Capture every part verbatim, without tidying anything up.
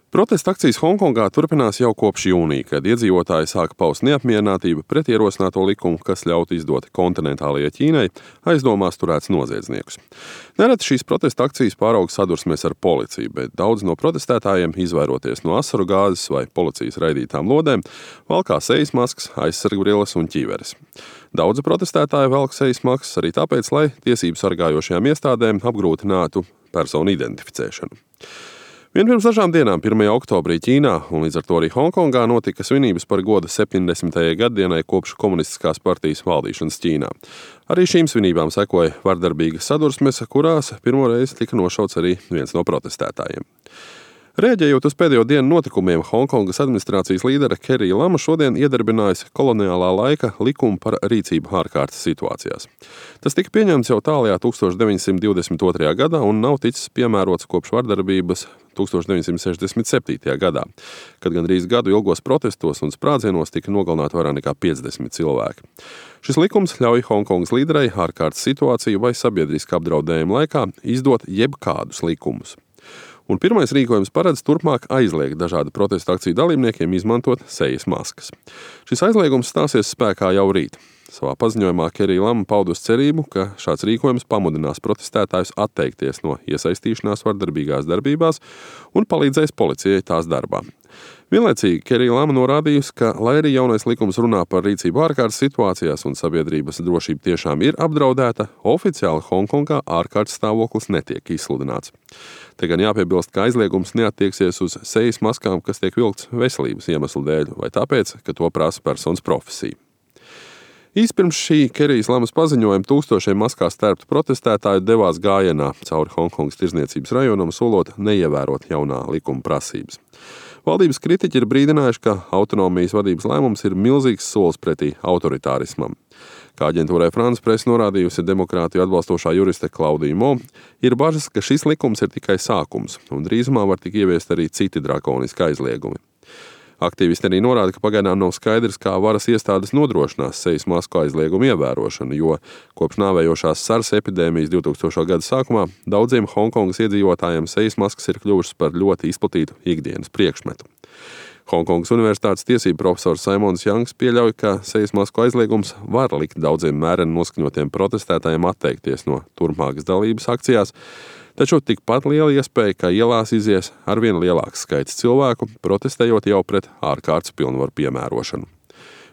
Protesta akcijas Honkongā turpinās jau kopš jūnija, kad iedzīvotāji sāka paust neapmierinātību pret ierosināto likumu, kas ļautu izdot kontinentālajai Ķīnai aizdomās turēts noziedzniekus. Nereti šīs protesta akcijas pārauga sadursmēs ar policiju, bet daudz no protestētājiem, izvairoties no asaru gāzes vai policijas raidītām lodēm, valkā sejas maskas, aizsargbrilles un ķīveres. Daudzi protestētāji velk sejas maskas arī tāpēc, lai tiesību sargājošajām iestādēm apgrūtinātu personu identificēšanu. Vien pirms dažām dienām, pirmajā oktobrī Ķīnā un līdz ar to arī Honkongā notika svinības par goda septiņdesmitajai gaddienai kopš komunistiskās partijas valdīšanas Ķīnā. Arī šīm svinībām sekoja vardarbīgas sadursmes, kurās pirmoreiz tika nošauts arī viens no protestētājiem. Rēģējot uz pēdējo dienu notikumiem, Honkongas administrācijas līdere Kerija Lama šodien iedarbinājusi koloniālā laika likumu par rīcību ārkārtas situācijās. Tas tika pieņemts jau tālajā tūkstoš deviņsimt divdesmit otrajā gadā un nav ticis piemērots kopš vardarbības tūkstoš deviņsimt sešdesmit septītajā gadā, kad gandrīz gadu ilgos protestos un sprādzienos tika nogalināti vairāk nekā piecdesmit cilvēki. Šis likums ļauj Honkongas līderei ārkārtas situāciju vai sabiedriska apdraudējuma laikā izdot jebkādus likumus. Un pirmais rīkojums paredz turpmāk aizliegt dažādu protestu akciju dalībniekiem izmantot sejas maskas. Šis aizliegums stāsies spēkā jau rīt. Savā paziņojumā Kerija Lama paudus cerību, ka šāds rīkojums pamudinās protestētājus atteikties no iesaistīšanās vardarbīgās darbībās un palīdzēs policijai tās darbā. Vienlaicīgi Kerija Lama norādījusi, ka, lai arī jaunais likums runā par rīcību ārkārtas situācijās un sabiedrības drošība tiešām ir apdraudēta, oficiāli Honkongā ārkārtas stāvoklis netiek izsludināts. Te gan jāpiebilst, ka aizliegums neattieksies uz sejas maskām, kas tiek vilkts veselības iemeslu dēļ, vai tāpēc, ka to prasa personas profesija. Īsi pirms šī Kerijas Lamas paziņojuma tūkstošiem maskās tērptu protestētāju devās gājienā cauri Honkongas tirdzniecības rajonam, solot neievērot jaunā likuma prasības. Valdības kritiķi ir brīdinājuši, ka autonomijas vadības lēmums ir milzīgs solis pretī autoritārismam. Kā aģentūrai France Presse norādījusi demokrātiju atbalstošā juriste Klaudija Mo, ir bažas, ka šis likums ir tikai sākums, un drīzumā var tik ieviest arī citi drakoniski aizliegumi. Aktīvisti arī norāda, ka pagaidām nav skaidrs, kā varas iestādes nodrošinās sejas masku aizliegumu ievērošanu, jo kopš nāvējošās SARS epidēmijas divtūkstošā gada sākumā daudziem Honkongas iedzīvotājiem sejas maskas ir kļuvušas par ļoti izplatītu ikdienas priekšmetu. Honkongas universitātes tiesību profesors Simons Jangs pieļauj, ka sejas masku aizliegums var likt daudziem mēreni noskaņotiem protestētājiem atteikties no turpmākas dalības akcijās, taču tikpat liela iespēja, ka ielās izies arvien lielāks skaits cilvēku, protestējot jau pret ārkārtas pilnvaru piemērošanu.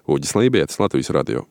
Uģis Lībietis, Latvijas radio.